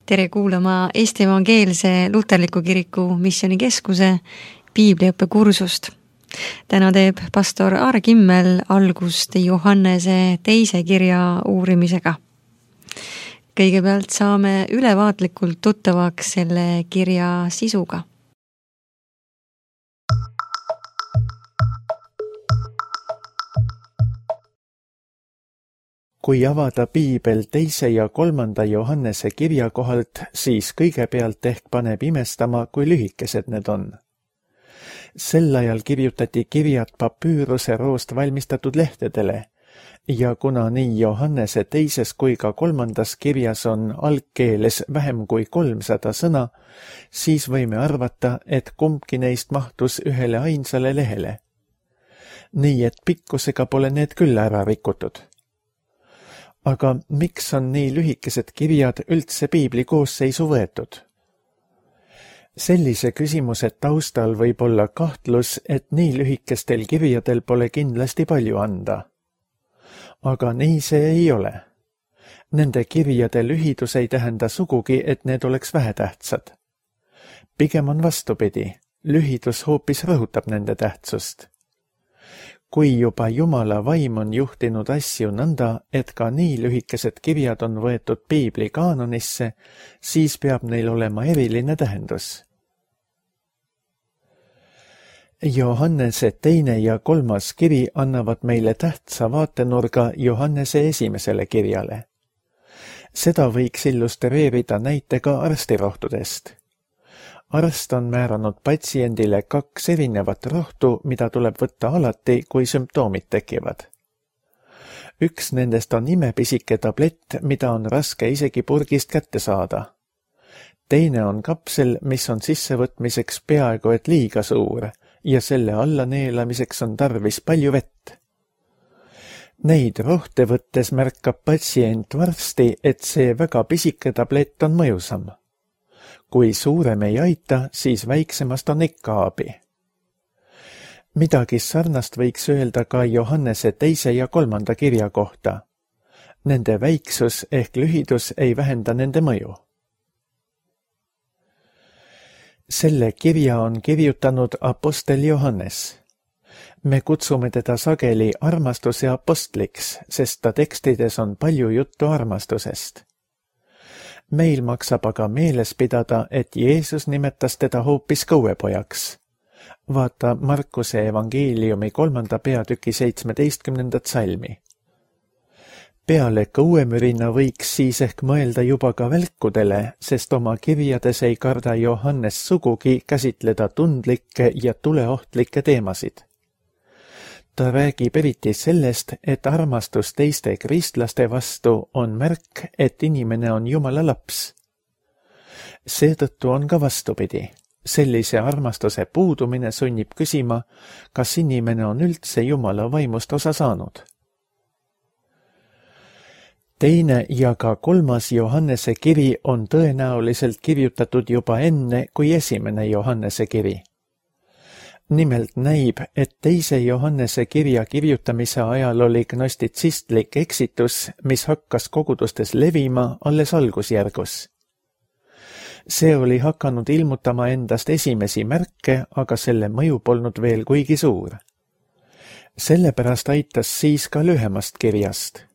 Tere kuulama Eesti Evangeelse Luterliku Kiriku Missioonikeskuse piibliõppe kursust. Täna teeb pastor Aare Kimmel algust Johannese 2. kirja uurimisega. Kõigepealt saame ülevaatlikult tuttavaks selle kirja sisuga. Kui avada piibel 2. ja 3. Johannese kirja kohalt, siis kõigepealt ehk paneb imestama, kui lühikesed need on. Sel ajal kirjutati kirjad papüüruse roost valmistatud lehtedele ja kuna nii Johannese 2. kui ka 3. kirjas on algkeeles vähem kui 300 sõna, siis võime arvata, et kumbki neist mahtus ühele ainsale lehele. Nii et pikkusega pole need küll ära rikutud. Aga miks on nii lühikesed kirjad üldse piibli koosseisu võetud? Sellise küsimuse taustal võib olla kahtlus, et nii lühikestel kirjadel pole kindlasti palju anda. Aga nii see ei ole. Nende kirjade lühidus ei tähenda sugugi, et need oleks vähetähtsad. Pigem on vastupidi, lühidus hoopis rõhutab nende tähtsust. Kui juba Jumala vaim on juhtinud asju nõnda, et ka nii lühikesed kirjad on võetud piibli kaanonisse, siis peab neil olema eriline tähendus. Johannese 2. ja 3. kiri annavad meile tähtsa vaatenurga Johannese 1. kirjale. Seda võiks illustreerida näitega arstirohtudest. Arst on määranud patsiendile 2 erinevat rohtu, mida tuleb võtta alati, kui sümptoomid tekivad. Üks nendest on imepisike tablett, mida on raske isegi purgist kätte saada. Teine on kapsel, mis on sissevõtmiseks peaaegu et liiga suur ja selle alla neelamiseks on tarvis palju vett. Neid rohte võttes märkab patsient varsti, et see väga pisike tablett on mõjusam. Kui suurem ei aita, siis väiksemast on ikka abi. Midagi sarnast võiks öelda ka Johannese 2. ja 3. kirja kohta. Nende väiksus ehk lühidus ei vähenda nende mõju. Selle kirja on kirjutanud apostel Johannes. Me kutsume teda sageli armastuse apostliks, sest ta tekstides on palju juttu armastusest. Meil maksab aga meeles pidada, et Jeesus nimetas teda hoopis kõuepojaks. Vaata Markuse evangeeliumi 3. peatüki 17. salmi. Peale kõuemürina võiks siis ehk mõelda juba ka välkudele, sest oma kirjades ei karda Johannes sugugi käsitleda tundlikke ja tuleohtlikke teemasid. Ta räägib eriti sellest, et armastus teiste kristlaste vastu on märk, et inimene on Jumala laps. Seetõttu on ka vastupidi. Sellise armastuse puudumine sunnib küsima, kas inimene on üldse Jumala vaimust osa saanud. 2. ja ka 3. Johannese kiri on tõenäoliselt kirjutatud juba enne kui 1. Johannese kiri. Nimelt näib, et 2. Johannese kirja kirjutamise ajal oli gnostitsistlik eksitus, mis hakkas kogudustes levima alles algusjärgus. See oli hakanud ilmutama endast esimesi märke, aga selle mõju polnud veel kuigi suur. Sellepärast aitas siis ka lühemast kirjast.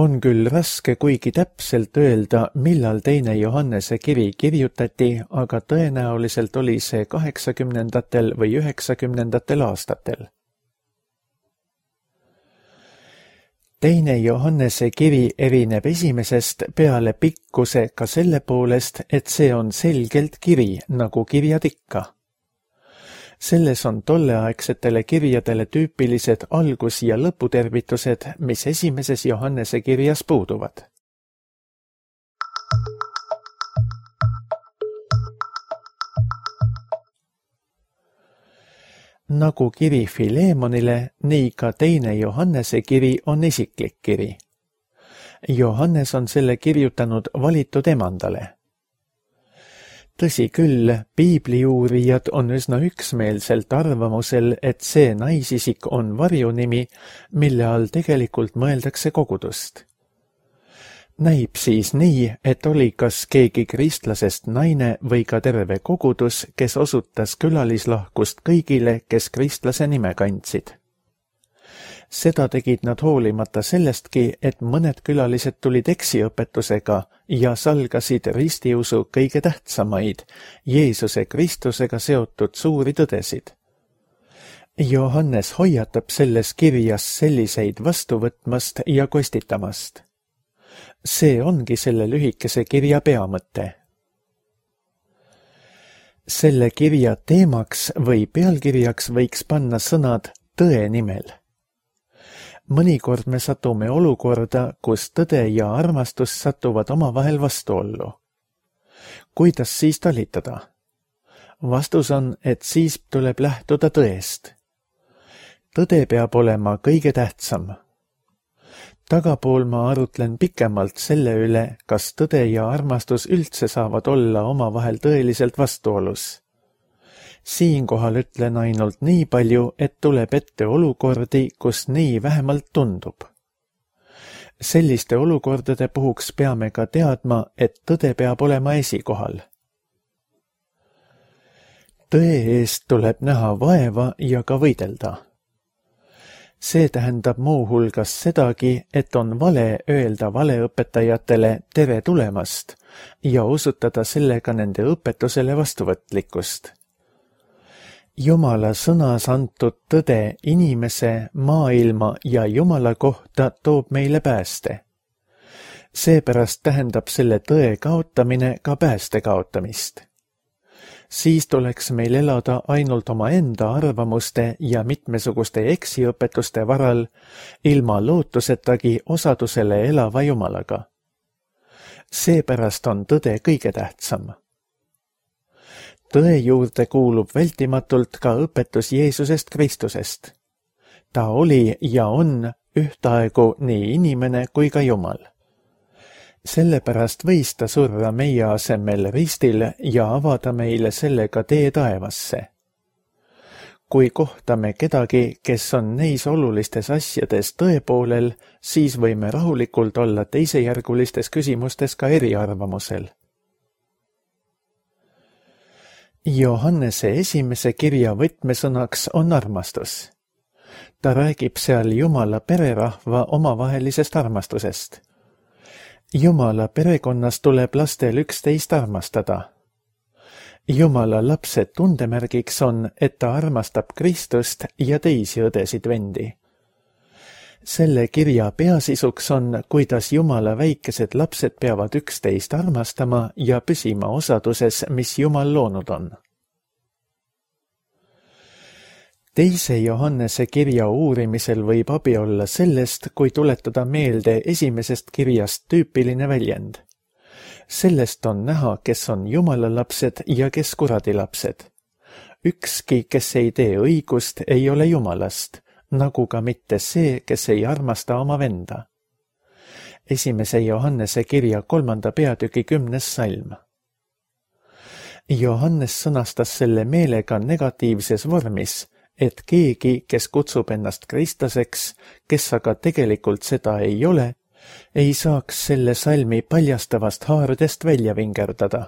On küll raske kuigi täpselt öelda, millal 2. Johannese kiri kirjutati, aga tõenäoliselt oli see 80. või 90. aastatel. 2. Johannese kiri erineb esimesest peale pikkuse ka selle poolest, et see on selgelt kiri, nagu kirjad ikka. Selles on tolleaegsetele kirjadele tüüpilised algus- ja lõputervitused, mis 1. Johannese kirjas puuduvad. Nagu kiri Filemonile, nii ka 2. Johannese kiri on isiklik kiri. Johannes on selle kirjutanud valitud emandale. Tõsi küll, piibliuurijad on üsna üksmeelselt arvamusel, et see naisisik on varjunimi, mille all tegelikult mõeldakse kogudust. Näib siis nii, et oli kas keegi kristlasest naine või ka terve kogudus, kes osutas külalislahkust kõigile, kes kristlase nime kandsid. Seda tegid nad hoolimata sellestki, et mõned külalised tulid eksiõpetusega ja salgasid ristiusu kõige tähtsamaid, Jeesuse Kristusega seotud suuri tõdesid. Johannes hoiatab selles kirjas selliseid vastu võtmast ja kostitamast. See ongi selle lühikese kirja peamõte. Selle kirja teemaks või pealkirjaks võiks panna sõnad tõe nimel. Mõnikord me satume olukorda, kus tõde ja armastus satuvad omavahel vastuollu. Kuidas siis talitada? Vastus on, et siis tuleb lähtuda tõest. Tõde peab olema kõige tähtsam. Tagapool ma arutlen pikemalt selle üle, kas tõde ja armastus üldse saavad olla omavahel tõeliselt vastuolus. Siinkohal ütlen ainult nii palju, et tuleb ette olukordi, kus nii vähemalt tundub. Selliste olukordade puhuks peame ka teadma, et tõde peab olema esikohal. Tõe eest tuleb näha vaeva ja ka võidelda. See tähendab muu hulgas sedagi, et on vale öelda valeõpetajatele tere tulemast ja osutada sellega nende õpetusele vastuvõtlikkust. Jumala sõnas antud tõde inimese, maailma ja Jumala kohta toob meile pääste. Seepärast tähendab selle tõe kaotamine ka pääste kaotamist. Siis tuleks meil elada ainult omaenda arvamuste ja mitmesuguste eksiõpetuste varal, ilma lootusetagi osadusele elava Jumalaga. Seepärast on tõde kõige tähtsam. Tõe juurde kuulub vältimatult ka õpetus Jeesusest Kristusest. Ta oli ja on ühtaegu nii inimene kui ka Jumal. Sellepärast võis ta surra meie asemel ristil ja avada meile sellega tee taevasse. Kui kohtame kedagi, kes on neis olulistes asjades tõepoolel, siis võime rahulikult olla teisejärgulistes küsimustes ka eriarvamusel. Johannese esimese kirja võtmesõnaks on armastus. Ta räägib seal Jumala pererahva omavahelisest armastusest. Jumala perekonnas tuleb lastel üksteist armastada. Jumala lapse tundemärgiks on, et ta armastab Kristust ja teisi õdesid-vendi. Selle kirja peasisuks on, kuidas Jumala väikesed lapsed peavad üksteist armastama ja püsima osaduses, mis Jumal loonud on. Teise Johannese kirja uurimisel võib abi olla sellest, kui tuletada meelde esimesest kirjast tüüpiline väljend. Sellest on näha, kes on Jumala lapsed ja kes kuradi lapsed. Ükski, kes ei tee õigust, ei ole Jumalast, nagu ka mitte see, kes ei armasta oma venda. Esimese Johannese kirja 3. peatüki 10. salm. Johannes sõnastas selle meelega negatiivses vormis, et keegi, kes kutsub ennast kristlaseks, kes aga tegelikult seda ei ole, ei saaks selle salmi paljastavast haardest välja vingerdada.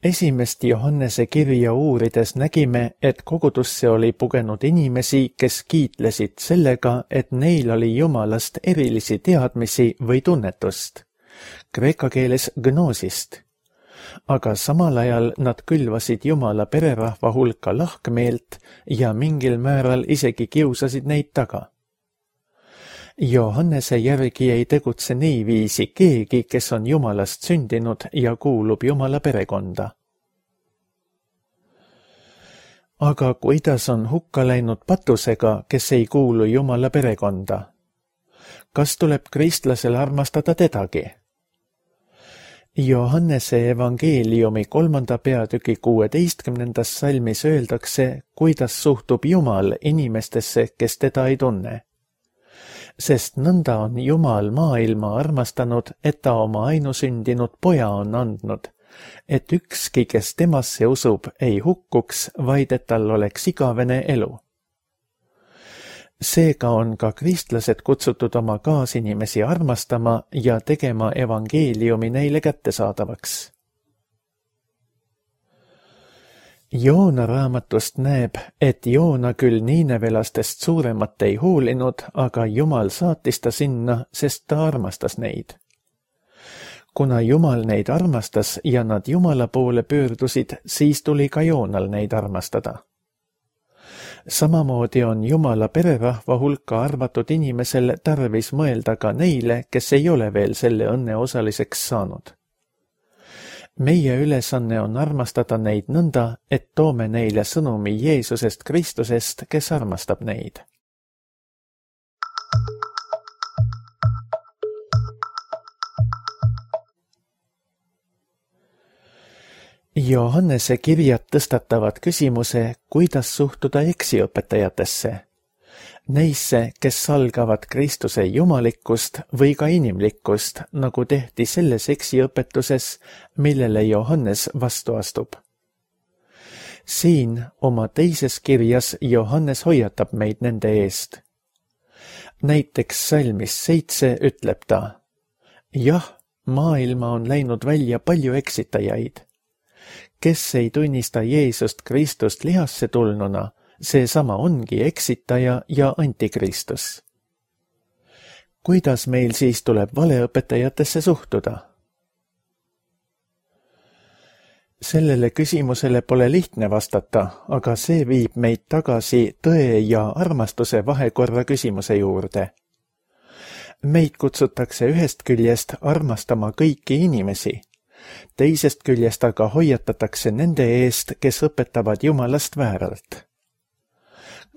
Esimest Johannese kirja uurides nägime, et kogudusse oli pugenud inimesi, kes kiitlesid sellega, et neil oli Jumalast erilisi teadmisi või tunnetust, kreeka keeles gnoosist. Aga samal ajal nad külvasid Jumala pererahva hulka lahkmeelt ja mingil määral isegi kiusasid neid taga. Johannese järgi ei tegutse niiviisi keegi, kes on Jumalast sündinud ja kuulub Jumala perekonda. Aga kuidas on hukka läinud patusega, kes ei kuulu Jumala perekonda? Kas tuleb kristlasel armastada tedagi? Johannese evangeeliumi 3. peatüki 16. salmis öeldakse, kuidas suhtub Jumal inimestesse, kes teda ei tunne. Sest nõnda on Jumal maailma armastanud, et ta oma ainusündinud poja on andnud, et ükski, kes temasse usub, ei hukkuks, vaid et tal oleks igavene elu. Seega on ka kristlased kutsutud oma kaasinimesi armastama ja tegema evangeeliumi neile kättesaadavaks. Joona raamatust näeb, et Joona küll niinevelastest suuremat ei hoolinud, aga Jumal saatis ta sinna, sest ta armastas neid. Kuna Jumal neid armastas ja nad Jumala poole pöördusid, siis tuli ka Joonal neid armastada. Samamoodi on Jumala pererahva hulka arvatud inimesel tarvis mõelda ka neile, kes ei ole veel selle õnne osaliseks saanud. Meie ülesanne on armastada neid nõnda, et toome neile sõnumi Jeesusest Kristusest, kes armastab neid. Johannese kirjad tõstatavad küsimuse, kuidas suhtuda eksiõpetajatesse. Neisse, kes salgavad Kristuse jumalikkust või ka inimlikkust, nagu tehti selles eksiõpetuses, millele Johannes vastu astub. Siin oma teises kirjas Johannes hoiatab meid nende eest. Näiteks salmis 7 ütleb ta: jah, maailma on läinud välja palju eksitajaid. Kes ei tunnista Jeesust Kristust lihasse tulnuna, seesama ongi eksitaja ja antikristus. Kuidas meil siis tuleb valeõpetajatesse suhtuda? Sellele küsimusele pole lihtne vastata, aga see viib meid tagasi tõe ja armastuse vahekorra küsimuse juurde. Meid kutsutakse ühest küljest armastama kõiki inimesi, teisest küljest aga hoiatatakse nende eest, kes õpetavad Jumalast vääralt.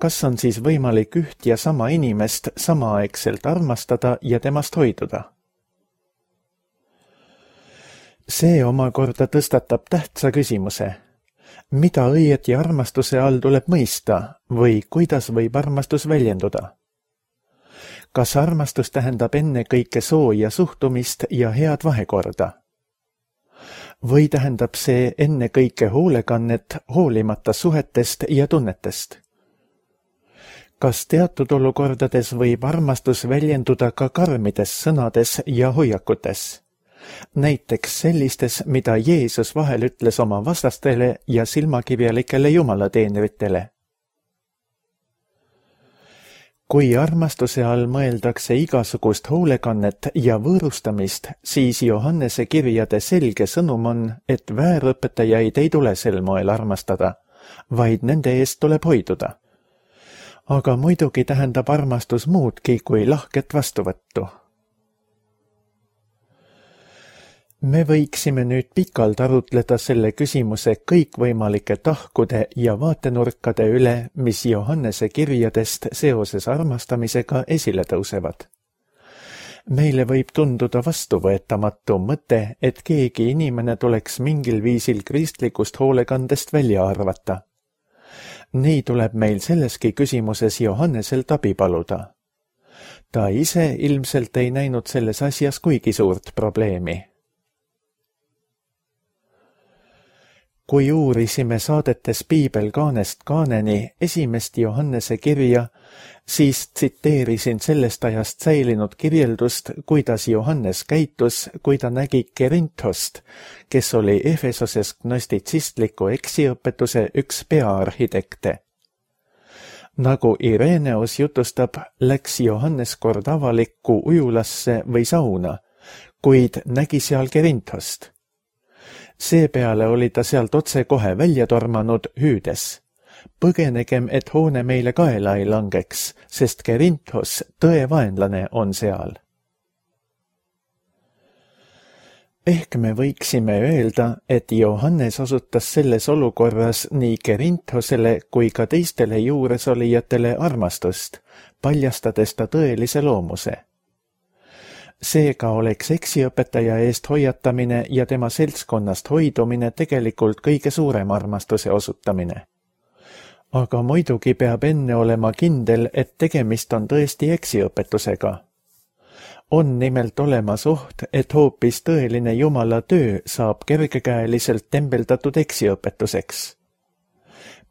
Kas on siis võimalik üht ja sama inimest samaaegselt armastada ja temast hoiduda? See omakorda tõstatab tähtsa küsimuse. Mida õieti armastuse all tuleb mõista või kuidas võib armastus väljenduda? Kas armastus tähendab ennekõike sooja suhtumist ja head vahekorda? Või tähendab see ennekõike hoolekannet hoolimata suhetest ja tunnetest? Kas teatud olukordades võib armastus väljenduda ka karmides sõnades ja hoiakutes? Näiteks sellistes, mida Jeesus vahel ütles oma vastastele ja silmakirjalikele jumalateenritele. Kui armastuse all mõeldakse igasugust hoolekannet ja võõrustamist, siis Johannese kirjade selge sõnum on, et väärõpetajaid ei tule sel moel armastada, vaid nende eest tuleb hoiduda. Aga muidugi tähendab armastus muudki kui lahket vastuvõttu. Me võiksime nüüd pikalt arutleda selle küsimuse kõikvõimalike tahkude ja vaatenurkade üle, mis Johannese kirjadest seoses armastamisega esile tõusevad. Meile võib tunduda vastuvõetamatu mõte, et keegi inimene tuleks mingil viisil kristlikust hoolekandest välja arvata. Nii tuleb meil selleski küsimuses Johanneselt abi paluda. Ta ise ilmselt ei näinud selles asjas kuigi suurt probleemi. Kui uurisime saadetes Piibel kaanest kaaneni esimest Johannese kirja, siis tsiteerisin sellest ajast säilinud kirjeldust, kuidas Johannes käitus, kui ta nägi Kerinthost, kes oli Efesoses gnostitsistliku eksiõpetuse üks peaarhitekte. Nagu Ireneos jutustab, läks Johannes kord avalikku ujulasse või sauna, kuid nägi seal Kerinthost. Seepeale oli ta sealt otse kohe välja tormanud hüüdes. Põgenegem, et hoone meile kaela ei langeks, sest Kerinthos, tõe vaenlane, on seal. Ehk me võiksime öelda, et Johannes osutas selles olukorras nii Kerinthosele kui ka teistele juuresolijatele armastust, paljastades ta tõelise loomuse. Seega oleks eksiõpetaja eest hoiatamine ja tema seltskonnast hoidumine tegelikult kõige suurem armastuse osutamine. Aga muidugi peab enne olema kindel, et tegemist on tõesti eksiõpetusega. On nimelt olemas oht, et hoopis tõeline Jumala töö saab kergekäeliselt tembeldatud eksiõpetuseks.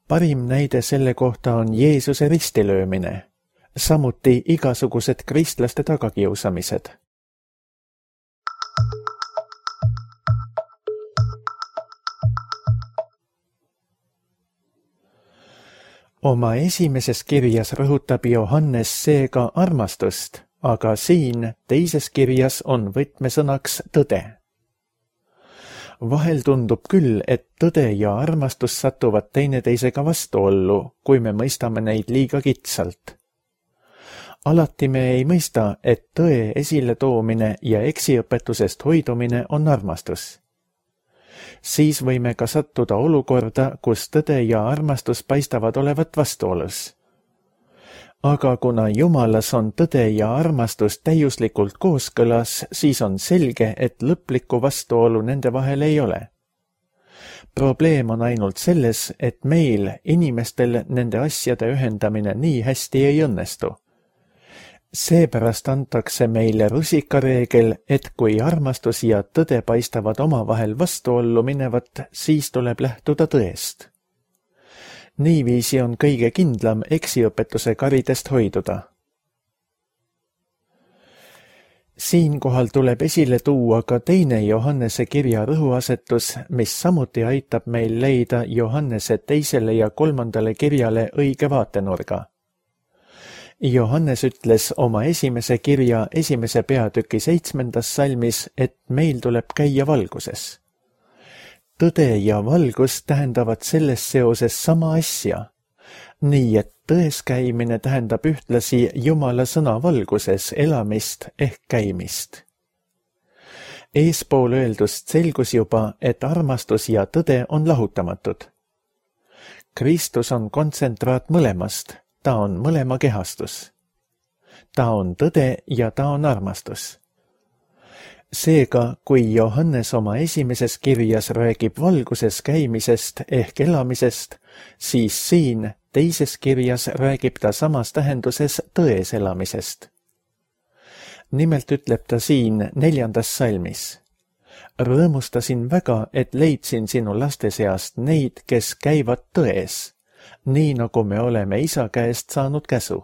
Parim näide selle kohta on Jeesuse ristilöömine. samuti igasugused kristlaste tagakiusamised. Oma esimeses kirjas rõhutab Johannes seega armastust, aga siin teises kirjas on võtmesõnaks tõde. Vahel tundub küll, et tõde ja armastus satuvad teineteisega vastuollu, kui me mõistame neid liiga kitsalt. Alati me ei mõista, et tõe esiletoomine ja eksiõpetusest hoidumine on armastus. Siis võime ka sattuda olukorda, kus tõde ja armastus paistavad olevat vastuolus. Aga kuna Jumalas on tõde ja armastus täiuslikult kooskõlas, siis on selge, et lõplikku vastuolu nende vahel ei ole. Probleem on ainult selles, et meil, inimestel, nende asjade ühendamine nii hästi ei õnnestu. Seepärast antakse meile rusikareegel, et kui armastus ja tõde paistavad omavahel vastuollu minevat, siis tuleb lähtuda tõest. Niiviisi on kõige kindlam eksiõpetuse karidest hoiduda. Siinkohal tuleb esile tuua ka teine Johannese kirja rõhuasetus, mis samuti aitab meil leida Johannese 2. ja 3. kirjale õige vaatenurga. Johannes ütles oma esimese kirja 1. peatüki 7. salmis, et meil tuleb käia valguses. Tõde ja valgus tähendavad selles seoses sama asja, nii et tões käimine tähendab ühtlasi Jumala sõna valguses elamist ehk käimist. Eespool öeldust selgus juba, et armastus ja tõde on lahutamatud. Kristus on kontsentraat mõlemast. Ta on mõlema kehastus. Ta on tõde ja ta on armastus. Seega, kui Johannes oma esimeses kirjas räägib valguses käimisest ehk elamisest, siis siin teises kirjas räägib ta samas tähenduses tões elamisest. Nimelt ütleb ta siin 4. salmis. Rõõmustasin väga, et leidsin sinu laste seast neid, kes käivad tões, nii nagu me oleme isa käest saanud käsu.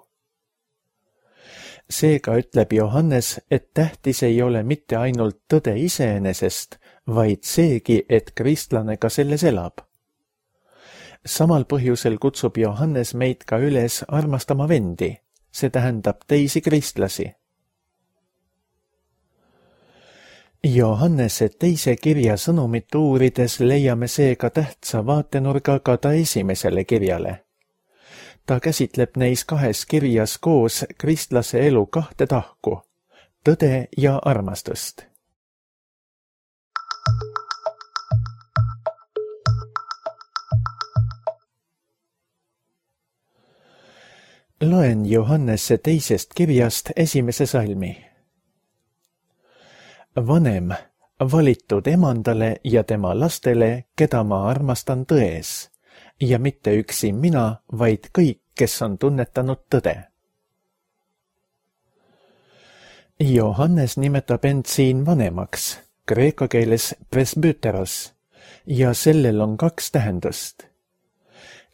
Seega ütleb Johannes, et tähtis ei ole mitte ainult tõde iseenesest, vaid seegi, et kristlane ka selles elab. Samal põhjusel kutsub Johannes meid ka üles armastama vendi, see tähendab teisi kristlasi. Johannese 2. kirja sõnumit uurides leiame seega tähtsa vaatenurga ka ta esimesele kirjale. Ta käsitleb neis 2 kirjas koos kristlase elu 2 tahku, tõde ja armastust. Loen Johannese 2. kirjast 1. salmi. Vanem, valitud emandale ja tema lastele, keda ma armastan tões, ja mitte üksi mina, vaid kõik, kes on tunnetanud tõde. Johannes nimetab end siin vanemaks, kreeka keeles presbyteros, ja sellel on 2 tähendust.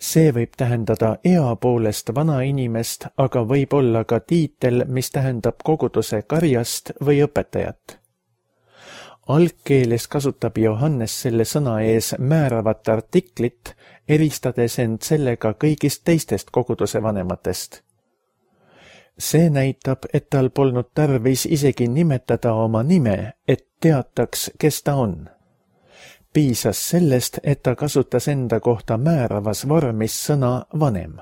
See võib tähendada ea poolest vana inimest, aga võib olla ka tiitel, mis tähendab koguduse karjast või õpetajat. Algkeeles kasutab Johannes selle sõna ees määravat artiklit, eristades end sellega kõigist teistest koguduse vanematest. See näitab, et tal polnud tarvis isegi nimetada oma nime, et teataks, kes ta on. Piisas sellest, et ta kasutas enda kohta määravas vormis sõna vanem.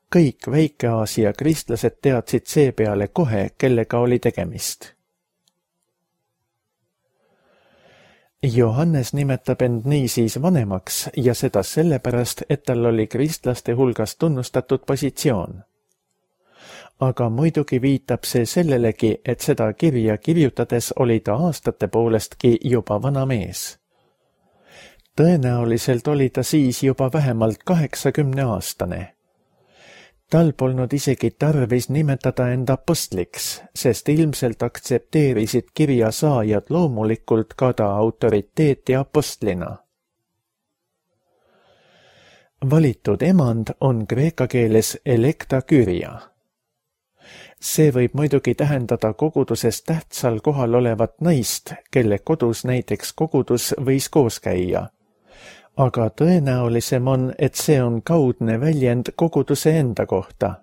Kõik Väike-Aasia kristlased teadsid seepeale kohe, kellega oli tegemist. Johannes nimetab end niisiis vanemaks ja seda sellepärast, et tal oli kristlaste hulgas tunnustatud positsioon. Aga muidugi viitab see sellelegi, et seda kirja kirjutades oli ta aastate poolestki juba vana mees. Tõenäoliselt oli ta siis juba vähemalt 80-aastane. Tal polnud isegi tarvis nimetada end apostliks, sest ilmselt aktsepteerisid kirja saajad loomulikult ka ta autoriteeti apostlina. Valitud emand on kreeka keeles elekta kyria, See võib muidugi tähendada koguduses tähtsal kohal olevat naist, kelle kodus näiteks kogudus võis koos käia. Aga tõenäolisem on, et see on kaudne väljend koguduse enda kohta.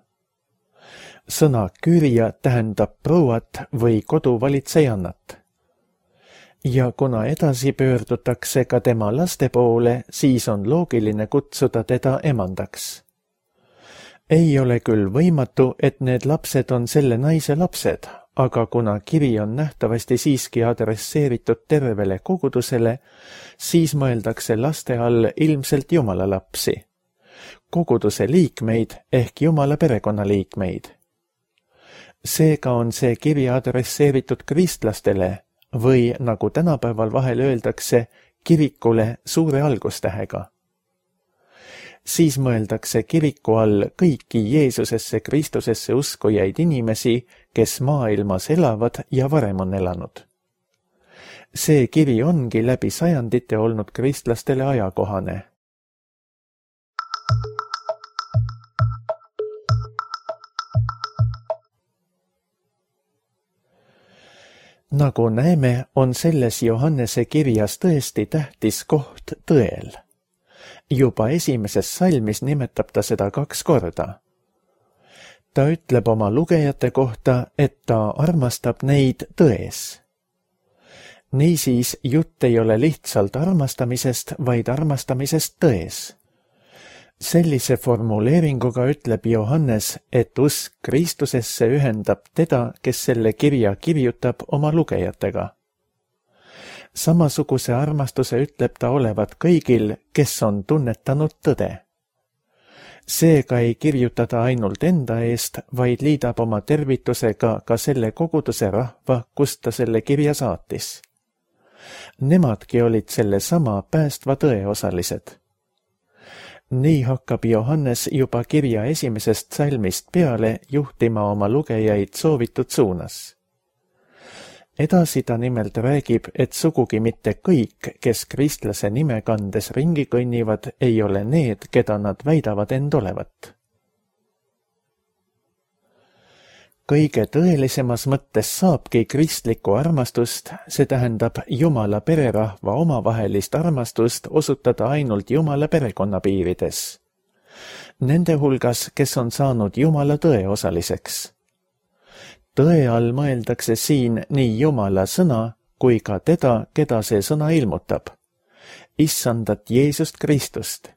Sõna kürja tähendab prouat või koduvalitsejannat. Ja kuna edasi pöördutakse ka tema laste poole, siis on loogiline kutsuda teda emandaks. Ei ole küll võimatu, et need lapsed on selle naise lapsed, aga kuna kiri on nähtavasti siiski adresseeritud tervele kogudusele, siis mõeldakse laste all ilmselt Jumala lapsi, koguduse liikmeid ehk Jumala perekonnaliikmeid. Seega on see kiri adresseeritud kristlastele või, nagu tänapäeval vahel öeldakse, kirikule suure algustähega. Siis mõeldakse kiriku all kõiki Jeesusesse Kristusesse uskujaid inimesi, kes maailmas elavad ja varem on elanud. See kiri ongi läbi sajandite olnud kristlastele ajakohane. Nagu näeme, on selles Johannese kirjas tõesti tähtis koht tõel. Juba esimeses salmis nimetab ta seda 2 korda. Ta ütleb oma lugejate kohta, et ta armastab neid tões. Niisiis jutt ei ole lihtsalt armastamisest, vaid armastamisest tões. Sellise formuleeringuga ütleb Johannes, et usk Kristusesse ühendab teda, kes selle kirja kirjutab, oma lugejatega. Samasuguse armastuse ütleb ta olevat kõigil, kes on tunnetanud tõde. Seega ei kirjuta ta ainult enda eest, vaid liidab oma tervitusega ka selle koguduse rahva, kust ta selle kirja saatis. Nemadki olid selle sama päästva tõe osalised. Nii hakkab Johannes juba kirja esimesest salmist peale juhtima oma lugejaid soovitud suunas. Edasi ta nimelt räägib, et sugugi mitte kõik, kes kristlase nime kandes ringi kõnnivad, ei ole need, keda nad väidavad end olevat. Kõige tõelisemas mõttes saabki kristlikku armastust, see tähendab Jumala pererahva omavahelist armastust osutada ainult Jumala perekonna piirides. Nende hulgas, kes on saanud Jumala tõe osaliseks. Tõe all mõeldakse siin nii Jumala sõna kui ka teda, keda see sõna ilmutab. Issandat Jeesust Kristust.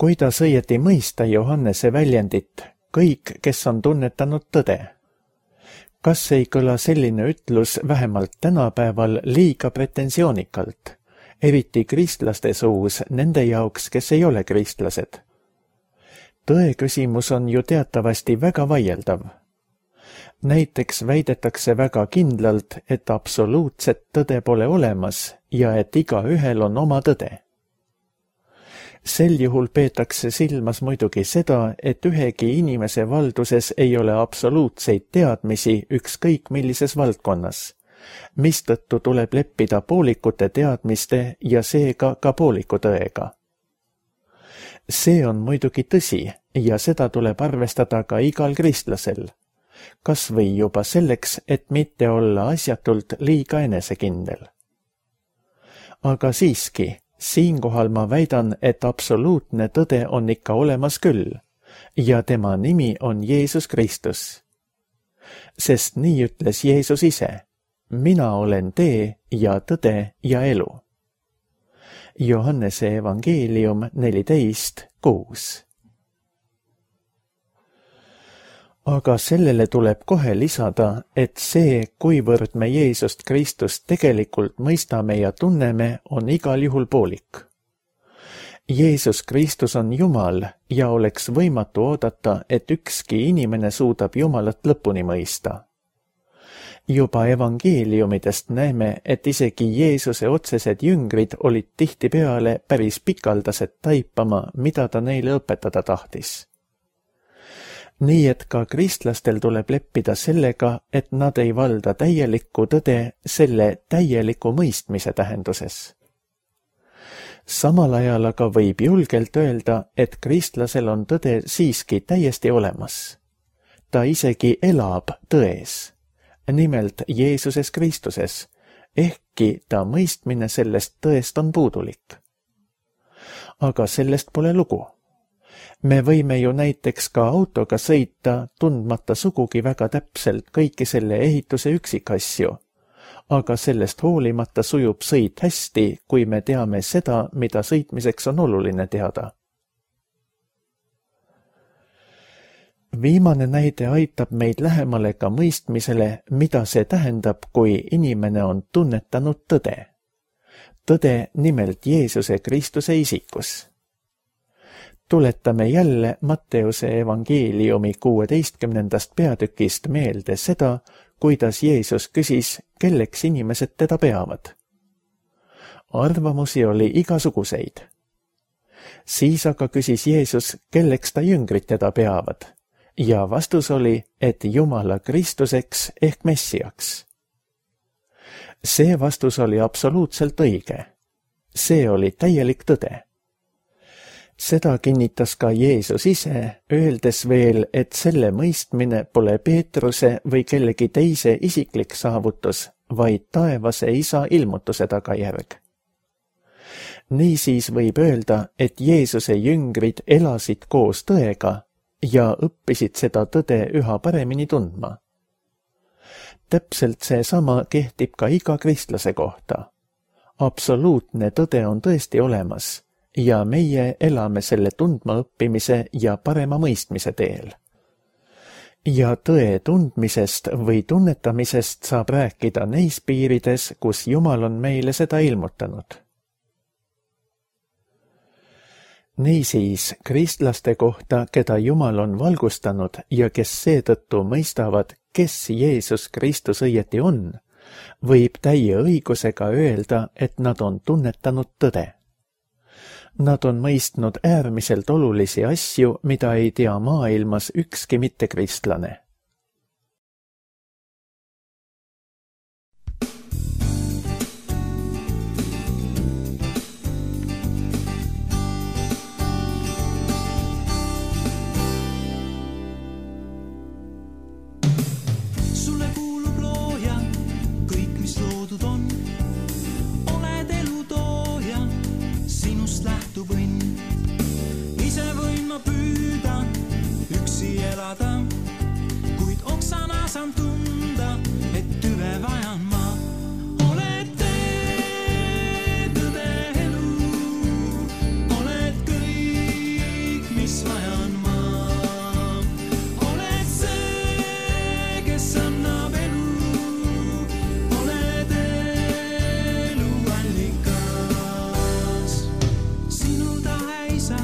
Kuidas õieti mõista Johannese väljendit, kõik, kes on tunnetanud tõde? Kas ei kõla selline ütlus vähemalt tänapäeval liiga pretensioonikalt, eriti kristlaste suus nende jaoks, kes ei ole kristlased? Tõe küsimus on ju teatavasti väga vaieldav. Näiteks väidetakse väga kindlalt, et absoluutset tõde pole olemas ja et igaühel on oma tõde. Sel juhul peetakse silmas muidugi seda, et ühegi inimese valduses ei ole absoluutseid teadmisi ükskõik millises valdkonnas, mistõttu tuleb leppida poolikute teadmiste ja seega ka pooliku tõega. See on muidugi tõsi ja seda tuleb arvestada ka igal kristlasel, kas või juba selleks, et mitte olla asjatult liiga enesekindel. Aga siiski, siinkohal ma väidan, et absoluutne tõde on ikka olemas küll ja tema nimi on Jeesus Kristus. Sest nii ütles Jeesus ise, mina olen tee ja tõde ja elu. Johannese evangeelium 14:6. Aga sellele tuleb kohe lisada, et see, kuivõrd me Jeesust Kristust tegelikult mõistame ja tunneme, on igal juhul poolik. Jeesus Kristus on Jumal ja oleks võimatu oodata, et ükski inimene suudab Jumalat lõpuni mõista. Juba evangeeliumidest näeme, et isegi Jeesuse otsesed jüngrid olid tihtipeale päris pikaldased taipama, mida ta neile õpetada tahtis. Nii et ka kristlastel tuleb leppida sellega, et nad ei valda täielikku tõde selle täieliku mõistmise tähenduses. Samal ajal aga võib julgelt öelda, et kristlasel on tõde siiski täiesti olemas. Ta isegi elab tões, nimelt Jeesuses Kristuses, ehkki ta mõistmine sellest tõest on puudulik. Aga sellest pole lugu. Me võime ju näiteks ka autoga sõita, tundmata sugugi väga täpselt kõiki selle ehituse üksikasju, aga sellest hoolimata sujub sõit hästi, kui me teame seda, mida sõitmiseks on oluline teada. Viimane näide aitab meid lähemale ka mõistmisele, mida see tähendab, kui inimene on tunnetanud tõde. Tõde nimelt Jeesuse Kristuse isikus. Tuletame jälle Matteuse evangeeliumi 16. peatükist meelde seda, kuidas Jeesus küsis, kelleks inimesed teda peavad. Arvamusi oli igasuguseid. Siis aga küsis Jeesus, kelleks ta jüngrid teda peavad, ja vastus oli, et Jumala Kristuseks ehk Messiaks. See vastus oli absoluutselt õige. See oli täielik tõde. Seda kinnitas ka Jeesus ise, öeldes veel, et selle mõistmine pole Peetruse või kellegi teise isiklik saavutus, vaid taevase isa ilmutuse tagajärg. Niisiis võib öelda, et Jeesuse jüngrid elasid koos tõega ja õppisid seda tõde üha paremini tundma. Täpselt seesama kehtib ka iga kristlase kohta. Absoluutne tõde on tõesti olemas ja meie elame selle tundma õppimise ja parema mõistmise teel. Ja tõe tundmisest või tunnetamisest saab rääkida neis piirides, kus Jumal on meile seda ilmutanud. Niisiis, kristlaste kohta, keda Jumal on valgustanud ja kes seetõttu mõistavad, kes Jeesus Kristus õieti on, võib täie õigusega öelda, et nad on tunnetanud tõde. Nad on mõistnud äärmiselt olulisi asju, mida ei tea maailmas ükski mittekristlane. Sulle kuulub looja, kõik mis loodud on. Oled elu tooja, sinust lähtub õnn. Ise võin ma püüda, üksi elada, kuid oksana saan tunda, et tüve vajan ma. Oled tee, tõde elu, oled kõik, mis vajan ma. Oled see, kes annab elu, oled elu allikas. Sinu tahe isa,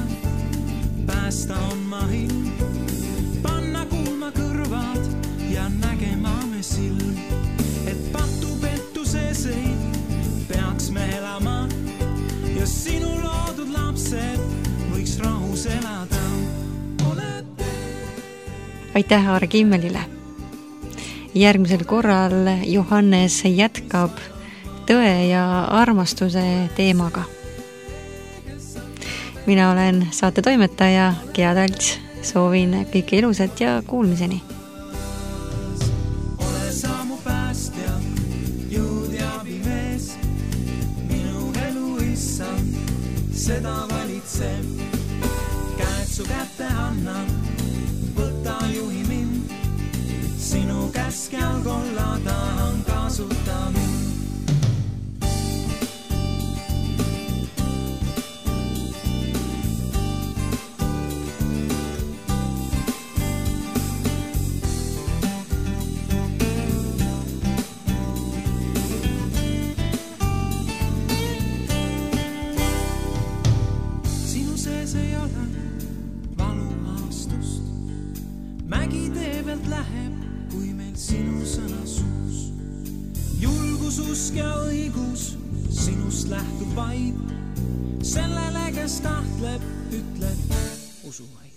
päästa on ma ilm, panna kuulma kõrvad ja nägema me silm, et patu pettuseseid peaks me elama ja sinu loodud lapsed võiks rahus elada. Oled aitäh Aar Kimmelile. Järgmisel korral Johannes jätkab tõe ja armastuse teemaga. Mina olen saate toimetaja Gea Talts. Soovin kõike ilusat ja kuulmiseni. Ole sa mu päästja, jõud ja abimees, minu elu issand, seda valitseb. Käed su kätte annan, võta juhi mind, sinu käskjal kolla tahan kasuta mind. Sinu sees ei ole valuaastust, mägi tee pealt läheb, kui meil sinu sõna suus. Julgus, usk ja õigus sinust lähtub vaid, sellele, kes tahtleb, ütleb usu vaid.